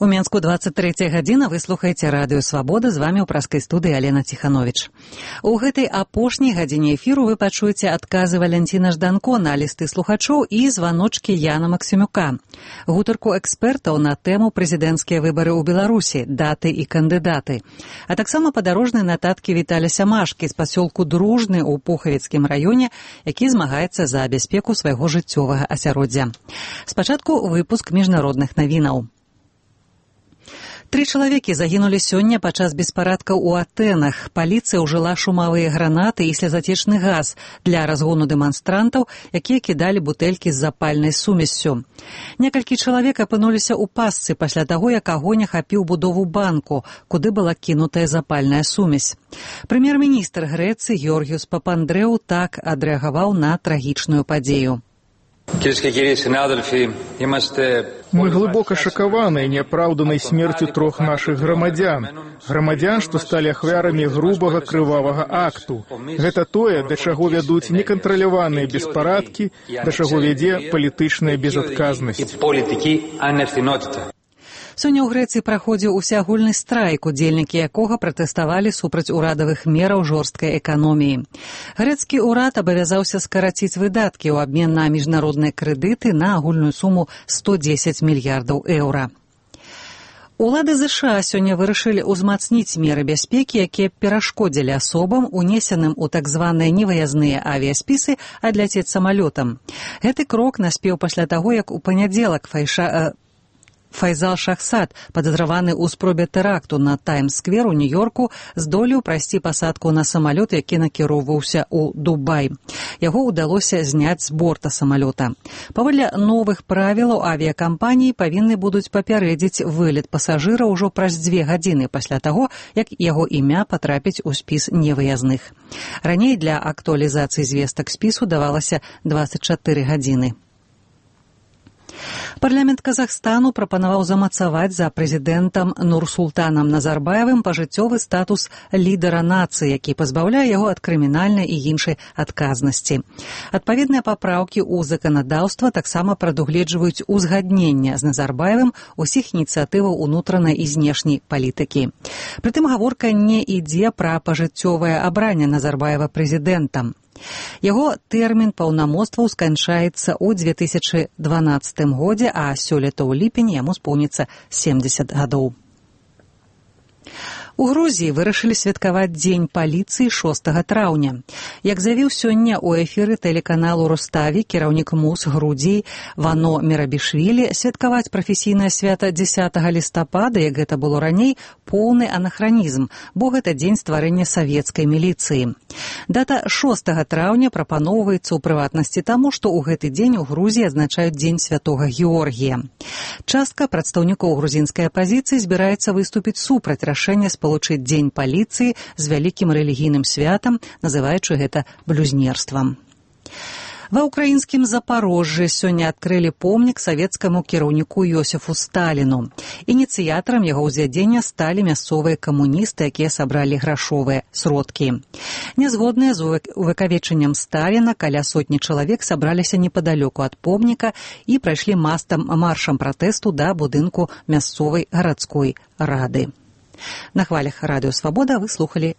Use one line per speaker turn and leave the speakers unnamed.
У Менску 23 гадзіна, вы слухаеце радыё «Свабода», з вамі ў праскай студыі Алена Ціхановіч. У гэтай апошняй гадзіне эфіру вы пачуеце адказы Валянціна Жданко на лісты слухачоў і званочкі Яна Максімюка, гутарку экспертаў на тэму прэзідэнцкія выбары ў Беларусі, даты і кандыдаты, а таксама падарожныя нататкі Віталя Сямашкі з пасёлку Дружны ў Пухавіцкім раёне, які змагаецца за бяспеку свайго жыццёвага асяроддзя. Спачатку выпуск міжнародных навінаў. 3 чалавекі загінулі сёння падчас беспарадкаў у Атэнах. Паліцыя ўжыла шумавыя гранаты і слезатечны газ для разгону дэманстрантаў, якія кідалі бутэлькі з запальнай сумессю. Некалькі чалавек апынуліся ў пастцы пасля таго, як агонь ахапіў будову банку, куды была кінутая запальная сумесь. Прэм'ер-міністр Грэцыі Георгіус Папандрэу так адрэагаваў на трагічную падзею.
Мы глубоко шокированы неоправданной смертью 3 наших громадян, что стали ахвярамі грубого крывавага акту. Гэта тое, да чаго вядуць некантраляваныя беспарадкі, да чаго вядзе палітычная безадказнасць.
Сёння ў Грэцыі праходзіў усеагульны страйк, удзельнікі якога пратэставалі супраць урадавых мераў жорсткай эканоміі. Грэцкі ўрад абавязаўся скараціць выдаткі ў абмен на міжнародныя крэдыты на агульную суму 110 мільярдаў еўра. Улады ЗША сёння вырашылі ўзмацніць меры бяспекі, якія перашкодзілі асобам, унесеным у так званыя невыязныя авіяспісы, адляцець самалётам. Гэты крок наспеў пасля таго, як у панядзелак Файзал Шахсад, падазраваны ў спробе тэракту на Таймс-сквер у Нью-Йорку, здолеў прайсці пасадку на самалёт, які накіроўваўся ў Дубай. Яго ўдалося зняць з борта самалёта. Паводле новых правілаў авіякампаніі павінны будуць папярэдзіць вылет пасажыра ўжо праз 2 гадзіны пасля таго, як яго імя патрапіць у спіс невыязных. Раней для актуалізацыі звестак спісу давалася 24 гадзіны. Парламент Казахстану прапанаваў замацаваць за прэзідэнтам Нурсултанам Назарбаевым пажыццёвы статус лідара нацыі, які пазбаўляе яго ад крымінальнай і іншай адказнасці. Адпаведныя папраўкі ў заканадаўства таксама прадугледжваюць узгаднення з Назарбаевым усіх ініцыятываў унутранай і знешняй палітыкі. Прытым гаворка не ідзе пра пажыццёвае абранне Назарбаева прэзідэнтам. Яго тэрмін паўнамоцтваў сканчаецца ў 2012 годзе, а сёлета ў ліпені яму споўніцца 70 гадоў. У Грузіі вырашылі святкаваць Дзень паліцыі 6 траўня. Як заявіў сёння ў эфіры тэлеканалу Руставі кіраўнік МУС Грузіі Вано Мерабішвілі, святкаваць прафесійнае свята 10 лістапада, як гэта было раней, поўны анахранізм, бо гэта дзень стварэння савецкай міліцыі. Дата 6 траўня прапаноўваецца ў прыватнасці таму, што ў гэты дзень у Грузіі адзначаюць Дзень святога Георгія. Частка прадстаўнікоў грузінскай апазіцыі збіраецца выступіць супраць рашэння спалучыць Дзень паліцыі з вялікім рэлігійным святам, называючы гэта блюзнерствам. Ва ўкраінскім Запарожжы сёння адкрылі помнік савецкаму кіраўніку Йосіфу Сталіну. Ініцыятарам яго ўзвядзення сталі мясцовыя камуністы, якія сабралі грашовыя сродкі. Нязгодныя з увекавечаннем Сталіна каля 100 чалавек сабраліся непадалёку ад помніка і прайшлі маршам пратэсту да будынку мясцовай гарадской рады. На хвалях радыё «Свабода» вы слухалі